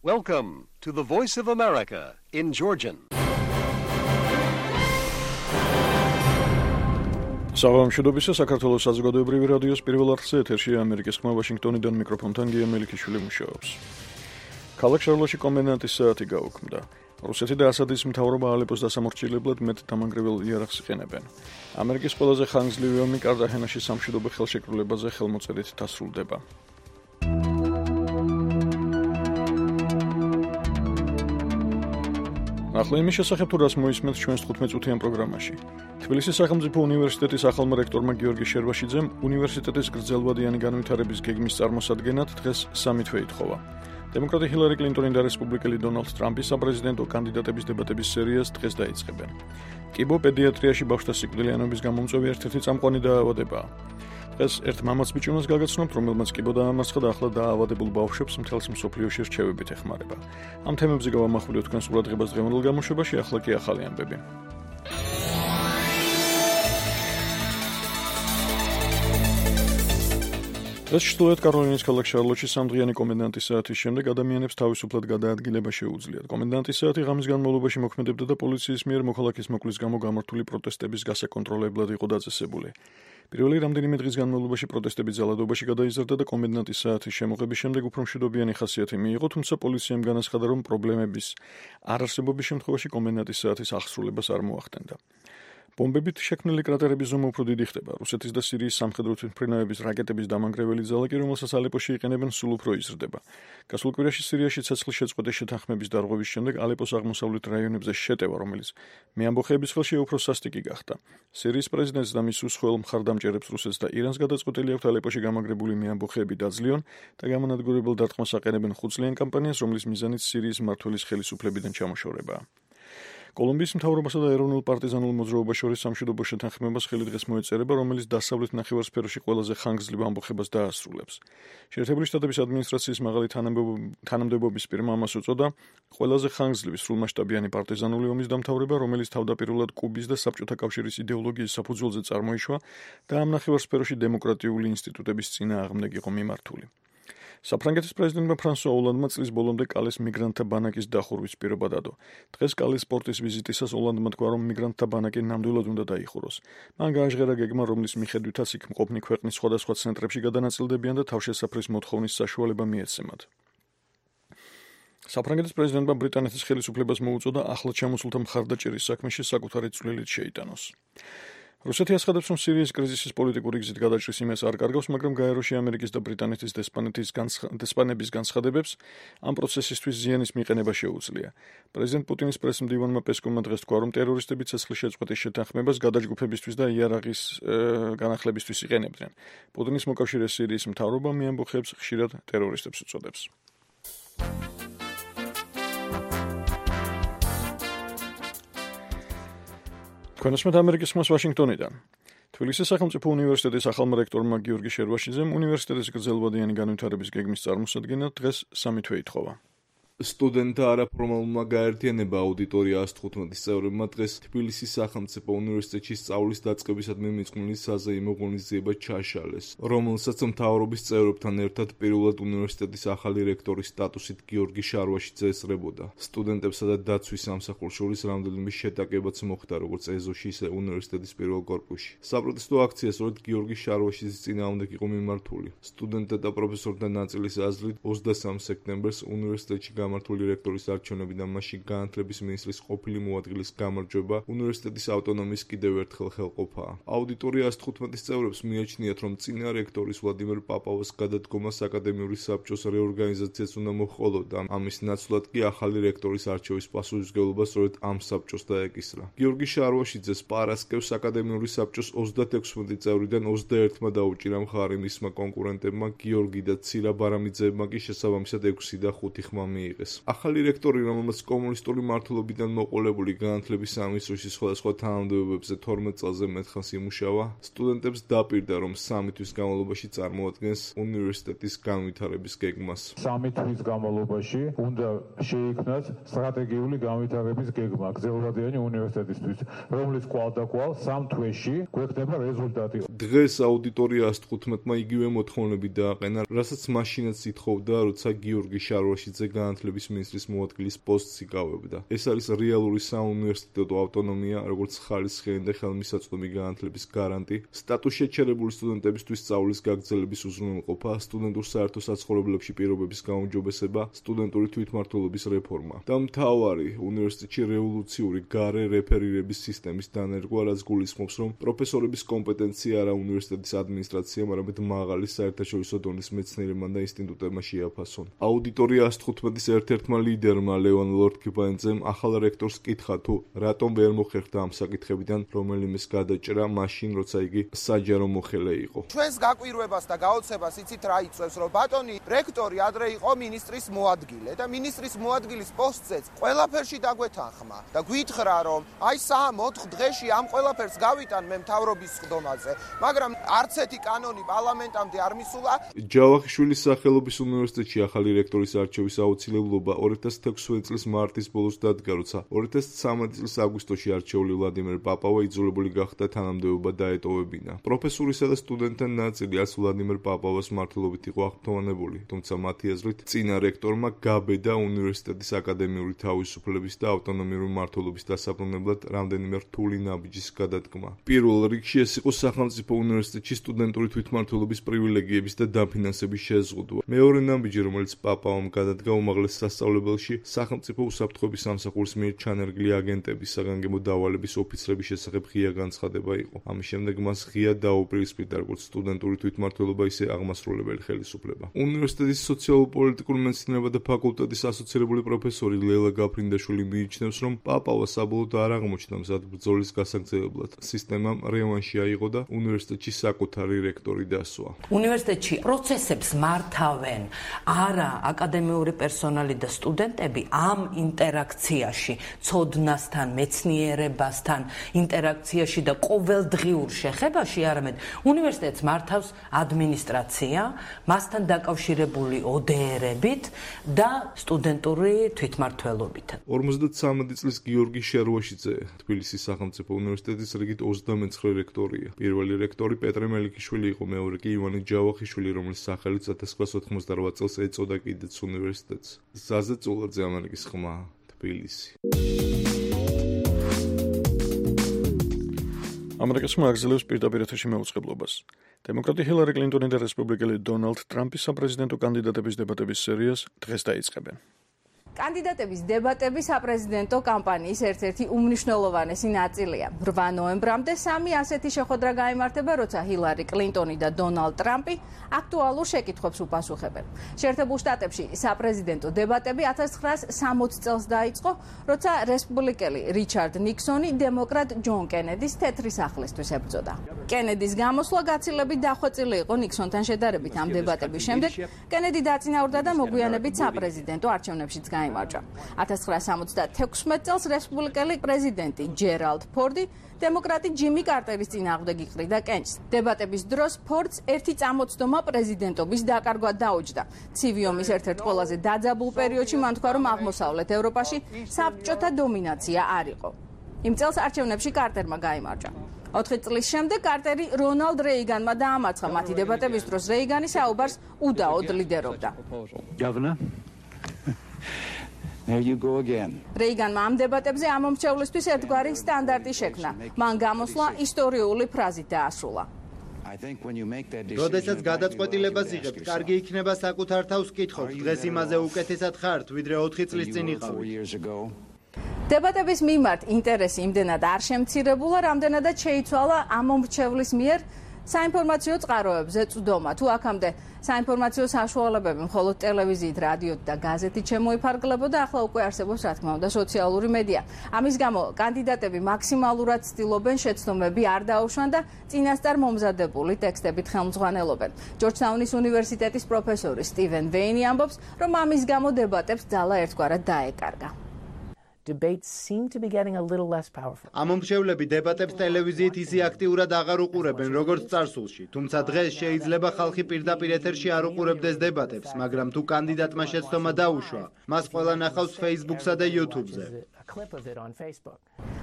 Welcome to the Voice of America in Georgian. საღამოშობისა საქართველოს საზოგადოებრივი რადიოს პირველ არხზე ეთერშია ამერიკის ხმა ვაშინგტონიდან მიკროფონთან გია მელიქიშვილი მუშაობს. ქალაქ შარლოში კომენდანტის საათი გაუქმდა. რუსეთი და ასადის მთავრობა ალეპოს დასამორჩილებლად მეტ დამანგრევილ იარაღს იყენებენ. ამერიკის ყველაზე ხანგრძლივი ომი კარტაჰენაში სამშვიდობო ხელშეკრულებაზე ხელმოწერით დასრულდება. ახლა იმის შესახებ თუ რას მოისმენთ ჩვენს 15 წუთიან პროგრამაში. თბილისის სახელმწიფო უნივერსიტეტის ახალმა რექტორმა გიორგი შერვაშიძემ უნივერსიტეტის გრძელვადიანი განვითარების გეგმის წარმოსადგენად დღეს სამი თვე ითხოვა. დემოკრატი ჰილარი კლინტონი და რესპუბლიკელი დონალდ ტრამპი საპრეზიდენტო კანდიდატების დებატების სერიას დღეს დაიწყებენ. კიბო პედიატრიაში ბავშვთა სიკვდილიანობის გამომწვევი ერთ-ერთი წამყვანი დაავადებაა. დღეს ერთ მამაც ბიჭუნას გაგაცნობთ, რომელმაც კიბო დაამარცხა და ახლა დაავადებულ ბავშვებს მთელს მსოფლიოში რჩევებით ეხმარება. ამ თემებზე გავამახვილებთ თქვენს ყურადღებას დღევანდელ გამოშვებაში, ახლა კი ახალი ამბები. დღეს ჩრდილოეთ კაროლინის ქალაქ შარლოტში სამდღიანი კომენდანტის საათის შემდეგ ადამიანებს თავისუფლად გადაადგილება შეუძლიათ. კომენდანტის საათი ღამის განმავლობაში მოქმედებდა და პოლიციის მიერ მოქალაქის მოკვლის გამო გამართული პროტესტების გასაკონტროლებლად იყო დაწესებული. პირველი რამდენიმე დღის განმავლობაში პროტესტები ძალადობაში გადაიზარდა და კომენდანტის საათის შემოღების შემდეგ უფრო მშვიდობიანი ხასიათი მიიღო, თუმცა პოლიციამ განაცხადა, რომ პრობლემების არარსებობის შემთხვევაში კომენდანტის საათის აღსრულებას არ მოახდენდა. ბომბებით შექმნილი კრატერების ზომა უფრო დიდი ხდება. რუსეთის და სირიის სამხედრო თვითმფრინავების რაკეტების დამანგრეველი ძალა კი, რომელსაც ალეპოში იყენებენ, სულ უფრო იზრდება. გასულ კვირაში სირიაში ცეცხლის შეწყვეტის შეთანხმების დარღვევის შემდეგ ალეპოს აღმოსავლეთ რაიონებზე შეტევა, რომელიც მეამბოხეების ხელშია უფრო სასტიკი გახდა. სირიის პრეზიდენტს და მის უცხოელ მხარდამჭერებს რუსეთს და ირანს გადაწყვეტილი აქვთ ალეპოში გამაგრებული მეამბოხეები დაძლიონ და გამანადგურებელ დარტყმას აყენებენ ხუთწლიან კამპანიას, რომლის მიზანიც სირიის მმართველის ხელისუფლებიდან ჩამოშორებაა. კოლუმბიის მთავრობასა და ეროვნულ პარტიზანულ მოძრაობას შორის სამშვიდობო შეთანხმებას ხელი დღეს მოეწერება, რომელიც დასავლეთ ნახევარსფეროში ყველაზე ხანგრძლივ ამბოხებას დაასრულებს. შეერთებული შტატების ადმინისტრაციის მაღალი თანამდებობის პირმა ამას უწოდა ყველაზე ხანგრძლივი სრულმასშტაბიანი პარტიზანული ომის დამთავრება, რომელიც თავდაპირველად კუბის და საბჭოთა კავშირის იდეოლოგიის საფუძველზე წარმოიშვა და ამ ნახევარსფეროში დემოკრატიული ინსტიტუტების წინააღმდეგ იყო მიმართული. საფრანგეთის პრეზიდენტმა ფრანსუა ოლანდმა წლის ბოლომდე კალეს მიგრანტთა ბანაკის დახურვის პირობა დადო. დღეს კალეს პორტის ვიზიტისას ოლანდმა თქვა, რომ მიგრანტთა ბანაკი ნამდვილად უნდა დაიხუროს. მან გააჟღერა გეგმა, რომლის მიხედვითაც იქ მყოფნი ქვეყნის სხვადასხვა ცენტრებში გადანაწილდებიან და თავშესაფრის მოთხოვნის საშუალება მიეცემათ. საფრანგეთის პრეზიდენტმა ბრიტანეთის ხელისუფლებას მოუწოდა ახლად ჩამოსულთა მხარდაჭერის საქმეში საკუთარი წვლილით შეიტანოს. რუსეთი აცხადებს, რომ სირიის კრიზისის პოლიტიკური გზით გადაჭრის იმას არ კარგავს, მაგრამ გაეროში ამერიკის და ბრიტანეთის დესპანების განცხადებებს ამ პროცესისთვის ზიანის მიყენება შეუძლია. პრეზიდენტ პუტინის პრესმდივანმა პესკოვმა დღეს თქვა, რომ ტერორისტები ცეცხლის შეწყვეტის შეთანხმებას გადაჯგუფებისთვის და იარაღის განახლებისთვის იყენებდნენ. პუტინის მოკავშირე სირიის მთავრობა მეამბოხეებს ხშირად ტერორისტებს უწოდებს. თქვენსმეთ ამერიკის ხმას ვაშინგტონიდან. თბილისის სახელმწიფო უნივერსიტეტის ახალმა რექტორმა გიორგი შერვაშიძემ უნივერსიტეტის გრძელვადიანი განვითარების გეგმის წარმოსადგენად დღეს სამი თვე ითხოვა. სტუდენტთა არაფორმალურმა გაერთიანება აუდიტორია 115-ის წევრებმა დღეს თბილისის სახელმწიფო უნივერსიტეტში სწავლის დაწყებისადმი მიძღვნილი საზეიმო ღონისძიება ჩაშალეს, რომელსაც მთავრობის წევრებთან ერთად პირველად უნივერსიტეტის ახალი რექტორის სტატუსით გიორგი შარვაშიძე ესწრებოდა. სტუდენტებსა და დაცვის სამსახურს შორის რამდენიმე შეტაკებაც მოხდა, როგორც ეზოში, ისე უნივერსიტეტის პირველ კორპუსში. საპროტესტო აქცია სწორედ გიორგი შარვაშიძის წინააღმდეგ იყო მიმართული. სტუდენტთა და პროფესორთა ნაწილის აზრით 23 სექტემბერს უნივერსიტეტში გამართული რექტორის არჩევნები და მასში განათლების მინისტრის ყოფილი მოადგილის გამარჯვება უნივერსიტეტის ავტონომიის კიდევ ერთხელ ხელყოფაა. აუდიტორია 115-ის წევრებს მიაჩნიათ, რომ წინა რექტორის ვლადიმერ პაპავას გადადგომას აკადემიური საბჭოს რეორგანიზაციაც უნდა მოჰყოლოდა. ამის ნაცვლად კი ახალი რექტორის არჩევის პასუხისმგებლობა სწორედ ამ საბჭოს დაეკისრა. გიორგი შარვაშიძეს პარასკევს აკადემიური საბჭოს 36 წევრიდან 21-მა დაუჭირა მხარი, მისმა კონკურენტებმა გიორგი და ცირა ბარამიძეებმა კი შესაბამისად 6 და 5 ხმა მიიღეს. ახალი რექტორი, რომელმაც კომუნისტური მმართველობიდან მოყოლებული განათლების სამინისტროში სხვადასხვა თანამდებობებზე 12 წელზე მეტხანს იმუშავა, სტუდენტებს დაპირდა, რომ 3 თვის განმავლობაში წარმოადგენს უნივერსიტეტის განვითარების გეგმას. 3 თვის განმავლობაში უნდა შეიქმნას სტრატეგიული განვითარების გეგმა გრძელვადიანი უნივერსიტეტისთვის, რომლის კვალდაკვალ 3 თვეში გვექნება რეზულტატი. დღეს აუდიტორია 115-მა იგივე მოთხოვნები დააყენა, რასაც მაშინაც ითხოვდა, როცა გიორგი შარვაშიძე განათლების განათლების მინისტრის მოადგილის პოსტს იკავებდა. ეს არის რეალური საუნივერსიტეტო ავტონომია, როგორც ხალისხიანი და ხელმისაწვდომი განათლების გარანტი, სტატუს შეჩერებული სტუდენტებისთვის სწავლის გაგრძელების უზრუნველყოფა, სტუდენტურ საერთო საცხოვრებლებში პირობების გაუმჯობესება, სტუდენტური თვითმმართველობის რეფორმა და მთავარი უნივერსიტეტში რევოლუციური გარე რეფერირების სისტემის დანერგვა, რაც გულისხმობს, რომ პროფესორების კომპეტენცია არა უნივერსიტეტის ადმინისტრაციამ, არამედ მაღალი საერთაშორისო დონის მეცნიერებმა და ინსტიტუტებმა შეაფასონ. აუდიტორია 115-ის ერთ-ერთმა ლიდერმა ლევან ლორდ-კიპანძემ ახალ რექტორს კითხა თუ რატომ ვერ მოხერხდა ამ საკითხებიდან რომელიმეს გადაჭრა მაშინ, როცა იგი საჯარო მოხელე იყო. ჩვენს გაკვირვებას და გაოცებას იცით რა იწევს, რომ ბატონი რექტორი ადრე იყო მინისტრის მოადგილე და მინისტრის მოადგილის პოსტზეც ყველაფერში დაგვეთანხმა და გვითხრა, რომ აი 3-4 დღეში ამ ყველაფერს გავიტან მე მთავრობის სხდომაზე, მაგრამ არც ერთი კანონი პარლამენტამდე არ მისულა. ჯავახიშვილის სახელობის უნივერსიტეტში ახალი რექტორის არჩევის აუცილებლობა 2016 წლის მარტის ბოლოს დადგა, როცა 2013 წლის აგვისტოში არჩეული ვლადიმერ პაპავა იძულებული გახდა თანამდებობა დაეტოვებინა. პროფესურისა და სტუდენტთა ნაწილი არც ვლადიმერ პაპავას მმართველობით იყო აღფრთოვანებული, თუმცა მათი აზრით წინა რექტორმა გაბედა უნივერსიტეტის აკადემიური თავისუფლების და ავტონომიური მმართველობის დასაბრუნებლად რამდენიმე რთული ნაბიჯის გადადგმა. პირველ რიგში ეს იყო სახელმწიფო უნივერსიტეტში სტუდენტური თვითმმართველობის პრივილეგიების და დაფინანსების შეზღუდვა. მეორე ნაბიჯი, რომელიც პაპავამ გადადგა უმაღლეს სასწავლებელში, სახელმწიფო უსაფრთხოების სამსახურის მიერ ჩანერგილი აგენტების, საგანგებო დავალების ოფიცრების შესახებ ღია განცხადება იყო. ამის შემდეგ მას ღია დაუპირისპირდა როგორც სტუდენტური თვითმმართველობა, ისე აღმასრულებელი ხელისუფლება. უნივერსიტეტის სოციალურ-პოლიტიკურ მეცნიერებათა ფაკულტეტის ასოცირებული პროფესორი ლელა გაფრინდაშვილი მიიჩნევს, რომ პაპავა საბოლოოდ არ აღმოჩნდა მზად ბრძოლის გასაგრძელებლად. სისტემამ რევანში აიღო და უნივერსიტეტში საკუთარი რექტორი დასვა. უნივერსიტეტში პროცესებს მართავენ არა აკადემიური პერსონალი და სტუდენტები ამ ინტერაქციაში, ცოდნასთან, მეცნიერებასთან, ინტერაქციაში და ყოველდღიურ შეხებაში, არამედ უნივერსიტეტს მართავს ადმინისტრაცია, მასთან დაკავშირებული ODR-ებით და სტუდენტური თვითმმართველობით. 53 წლის გიორგი შერვაშიძე თბილისის სახელმწიფო უნივერსიტეტის რიგით 29 რექტორია. პირველი რექტორი პეტრე მელიქიშვილი იყო, მეორე კი ივანე ჯავახიშვილი, რომლის სახელით 1998 წელს ეწოდა კიდეც უნივერსიტეტს. ზაზე წულაძე, ამერიკის ხმა, თბილისი. ამერიკის ხმა აგრძელებს პირდაპირ ეთერში მეუწყებლობას. დემოკრატი ჰილარი კლინტონი და რესპუბლიკელი დონალდ ტრამპი საპრეზიდენტო კანდიდატების დებატების სერიას დღეს დაიწყებენ. კანდიდატების დებატები საპრეზიდენტო კამპანიის ერთ-ერთი უმნიშვნელოვანესი ნაწილია. 8 ნოემბრამდე 3 ასეთი შეხვედრა გაიმართება, როცა ჰილარი კლინტონი და დონალდ ტრამპი აქტუალურ შეკითხვებს უპასუხებენ. შეერთებულ შტატებში საპრეზიდენტო დებატები 1960 წელს დაიწყო, როცა რესპუბლიკელი რიჩარდ ნიქსონი დემოკრატ ჯონ კენედის თეთრი სახლისთვის ებრძოდა. კენედის გამოსვლა გაცილებით დახვეწილი იყო ნიქსონთან შედარებით ამ დებატების შემდეგ. კენედი დაწინაურდა და მოგვიანებით საპრეზიდენტო არჩევნებშიც გაიმარჯვა. 1976 წელს რესპუბლიკელი პრეზიდენტი ჯერალდ ფორდი დემოკრატი ჯიმი კარტერის წინააღმდეგ იყრიდა კენჭს. დებატების დროს ფორდს ერთი წამოწდომა პრეზიდენტობის დაკარგვა დაუჯდა. ცივი ომის ერთ-ერთ ყველაზე დაძაბულ პერიოდში მან თქვა, რომ აღმოსავლეთ ევროპაში საბჭოთა დომინაცია არ იყო. იმ წელს არჩევნებში კარტერმა გაიმარჯვა. 4 წლის შემდეგ კარტერი რონალდ რეიგანმა დაამარცხა. მათი დებატების დროს რეიგანი საუბარს უდაოდ ლიდერობდა. There you go again. რეიგანმა ამ დებატებზე ამომრჩევლისთვის ერთგვარი სტანდარტი შექმნა. მან გამოსვლა ისტორიული ფრაზით დაასრულა. როდესაც გადაწყვეტილებას იღებთ, კარგი იქნება საკუთარ თავს კითხოთ. დღეს იმაზე უკეთესად ხართ, ვიდრე 4 წლის წინ იყავით. დებატების მიმართ ინტერესი იმდენად არ შემცირებულა, რამდენადაც შეიცვალა ამომრჩევლის მიერ საინფორმაციო წყაროებზე წვდომა. თუ აქამდე საინფორმაციო საშუალებები მხოლოდ ტელევიზიით, რადიოთ და გაზეთით შემოიფარგლებოდა, ახლა უკვე არსებობს, რა თქმა უნდა, სოციალური მედია. ამის გამო კანდიდატები მაქსიმალურად ცდილობენ შეცდომები არ დაუშვან და წინასწარ მომზადებული ტექსტებით ხელმძღვანელობენ. ჯორჯთაუნის უნივერსიტეტის პროფესორი სტივენ ვეინი ამბობს, რომ ამის გამო დებატებს ძალა ერთგვარად დაეკარგა. Debates seem to be getting a little less powerful. ამომრჩევლები დებატებს ტელევიზიით ისე აქტიურად აღარ უყურებენ, როგორც წარსულში. თუმცა დღეს შეიძლება ხალხი პირდაპირ ეთერში არ უყურებდეს დებატებს, მაგრამ თუ კანდიდატმა შეცდომა დაუშვა, მას ყველა ნახავს Facebook-სა და YouTube-ზე.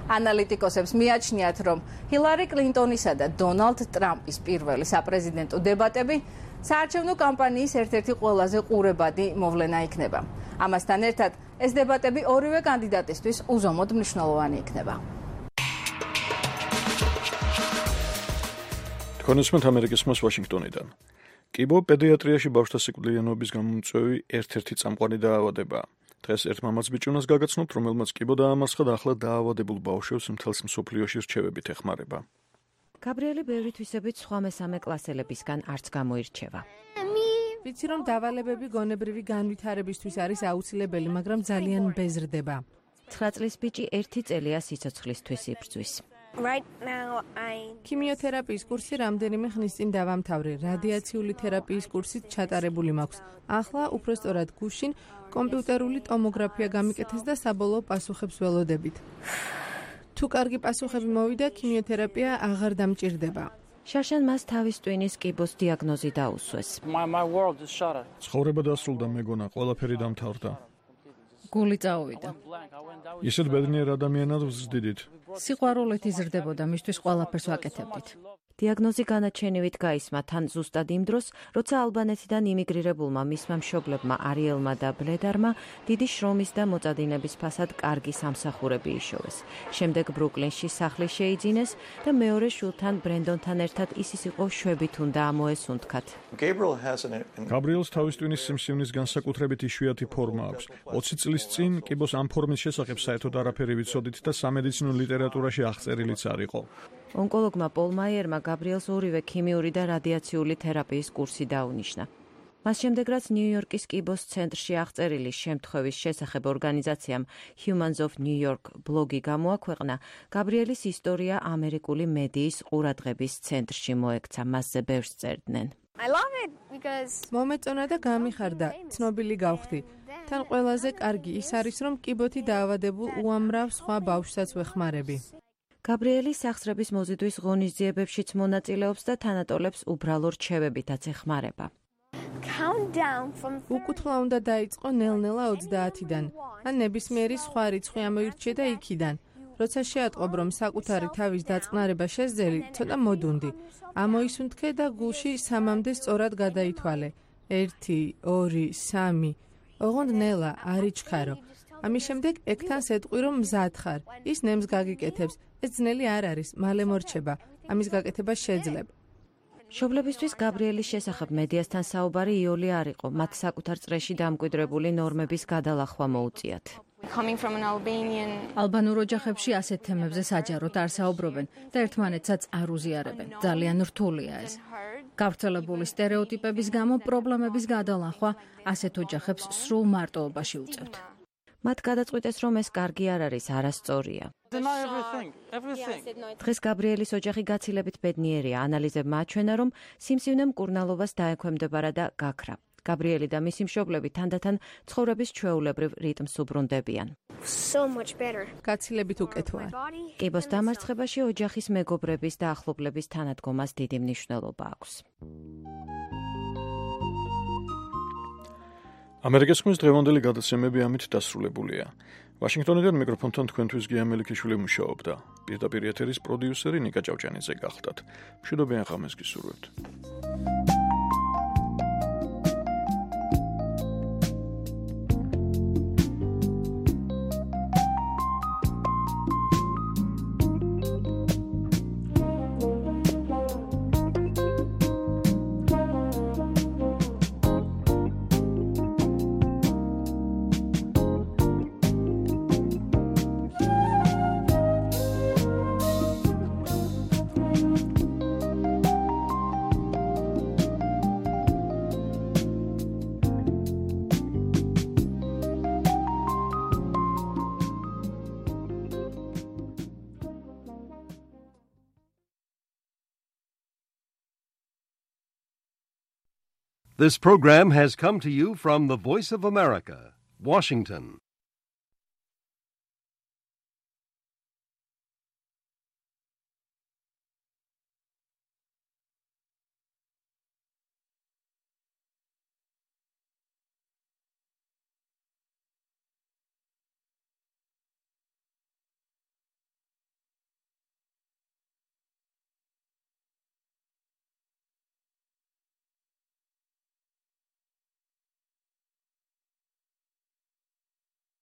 ანალიტიკოსებს მიაჩნიათ, რომ ჰილარი კლინტონისა და დონალდ ტრამპის პირველი საპრეზიდენტო დებატები საარჩევნო კამპანიის ერთ-ერთი ყველაზე ყურებადი მოვლენა იქნება. ამასთან ერთად ეს დებატები ორივე კანდიდატისთვის უზომოდ მნიშვნელოვანი იქნება. თქვენისმენთ ამერიკის მას ვაშინგტონიდან. კიბო პედიატრიაში ბავშვთა სიკვდილიანობის გამომწვევი ერთ-ერთი წამყვანი დაავადებაა. დღეს ერთ მამაც ბიჭუნას გაგაცნობთ, რომელმაც კიბო დაამარცხა და ახლა დაავადებულ ბავშვებს მთელს მსოფლიოში რჩევებით ეხმარება. გაბრიელი ბევრი თვისებით სხვა მესამე კლასელებისგან არც გამოირჩევა. ვიცი რომ დავალებები გონებრივი განვითარებისთვის არის აუცილებელი, მაგრამ ძალიან მბეზრდება. 9 წლის ბიჭი 1 წელია სიცოცხლისთვის იბრძვის. ქიმიოთერაპიის კურსი რამდენიმე ხნის წინ დავამთავრე, რადიაციული თერაპიის კურსით ჩატარებული მაქვს. ახლა უпростоრად გუშინ კომპიუტერული ტომოგრაფია გამიკეთეს და საბოლოო პასუხებს ველოდებით. თუ კარგი პასუხები მოვიდა, ქიმიოთერაპია აღარ დამჭირდება. შაშან მას თავის ტვინის კიბოს დიაგნოზი დაუსვეს. ცხოვრება დასრულდა, მეგონა, ყველაფერი დამთავრდა. გული წაუვიდა. ისეთ ბედნიერ ადამიანად ვზრდიდით. სიყვარულით იზრდებოდა, მისთვის ყველაფერს ვაკეთებდით. დიაგნოზი განაჩენივით გაისმა თან ზუსტად იმ დროს, როცა ალბანეთიდან იმიგრირებულმა მისმა მშობლებმა არიელმა და ბლედარმა დიდი შრომის და მოწადინების ფასად კარგი სამსახურები იშოვეს. შემდეგ ბრუკლინში სახლი შეიძინეს და მეორე შვილთან ბრენდონთან ერთად ისიც იყო შვებით უნდა ამოესუნთქათ. გაბრიელს თავის ტვინის სიმსივნის განსაკუთრებით იშვიათი ფორმა აქვს. 20 წლის წინ კიბოს ამ ფორმის შესახებ საერთოდ არაფერი ვიცოდით და სამედიცინო ლიტერატურაში აღწერილიც არ იყო. ონკოლოგმა პოლ მაიერმა გაბრიელს ორივე ქიმიური და რადიაციული თერაპიის კურსი დაუნიშნა. მას შემდეგ, რაც ნიუ-იორკის კიბოს ცენტრში აღწერილი შემთხვევის შესახებ ორგანიზაციამ Humans of New York ბლოგი გამოაქვეყნა, გაბრიელის ისტორია ამერიკული მედიის ყურადღების ცენტრში მოექცა, მასზე ბევრს წერდნენ. მომეწონა და გამიხარდა, ცნობილი გავხდი. თან ყველაზე კარგი ის არის, რომ კიბოთი დაავადებულ უამრავ სხვა ბავშვსაც ვეხმარები. გაბრიელი სახსრების მოზიდვის ღონისძიებებშიც მონაწილეობს და თანატოლებს უბრალო რჩევებითაც ეხმარება. უკუთვლა უნდა დაიწყო ნელ-ნელა 30-დან, ან ნებისმიერი სხვა რიცხვი ამოირჩიე და იქიდან. როცა შეატყობ, რომ საკუთარი თავის დაწყნარება შეძელი, ცოტა მოდუნდი. ამოისუნთქე და გულში 3-მდე სწორად გადაითვალე. 1, 2, 3. ოღონდ ნელა, არ იჩქარო. ამის შემდეგ ეგთან სეტყვი, რომ მზად ხარ. ის ნემს გაგიკეთებს. ეს ძნელი არ არის, მალე მორჩება. ამის გაკეთება შეძლებ. მშობლებისთვის გაბრიელის შესახებ მედიასთან საუბარი იოლი არ იყო, მათ საკუთარ წრეში დამკვიდრებული ნორმების გადალახვა მოუწიათ. ალბანურ ოჯახებში ასეთ თემებზე საჯაროდ არ საუბრობენ და ერთმანეთსაც არ უზიარებენ. ძალიან რთულია ეს. გავრცელებული სტერეოტიპების გამო პრობლემების გადალახვა ასეთ ოჯახებს სრულ მარტოობაში უწევთ. მათ გადაწყვიტეს, რომ ეს კარგი არ არის, არასწორია. დღეს გაბრიელის ოჯახი გაცილებით ბედნიერია. ანალიზებმა აჩვენა, რომ სიმსივნე მკურნალობას დაექვემდებარა და გაქრა. გაბრიელი და მისი მშობლები თანდათან ცხოვრების ჩვეულებრივ რიტმს უბრუნდებიან. გაცილებით უკეთოა. კიბოს დამარცხებაში ოჯახის მეგობრების და ახლობლების თანადგომას დიდი მნიშვნელობა აქვს. ამერიკის ხმის დღევანდელი გადაცემები ამით დასრულებულია. ვაშინგტონიდან მიკროფონთან თქვენთვის გია მელიქიშვილი მუშაობდა. პირდაპირ ეთერის პროდიუსერი ნიკა ჭავჭანიძე გახდათ. მშვიდობიან ღამეს გისურვებთ. This program has come to you from the Voice of America, Washington.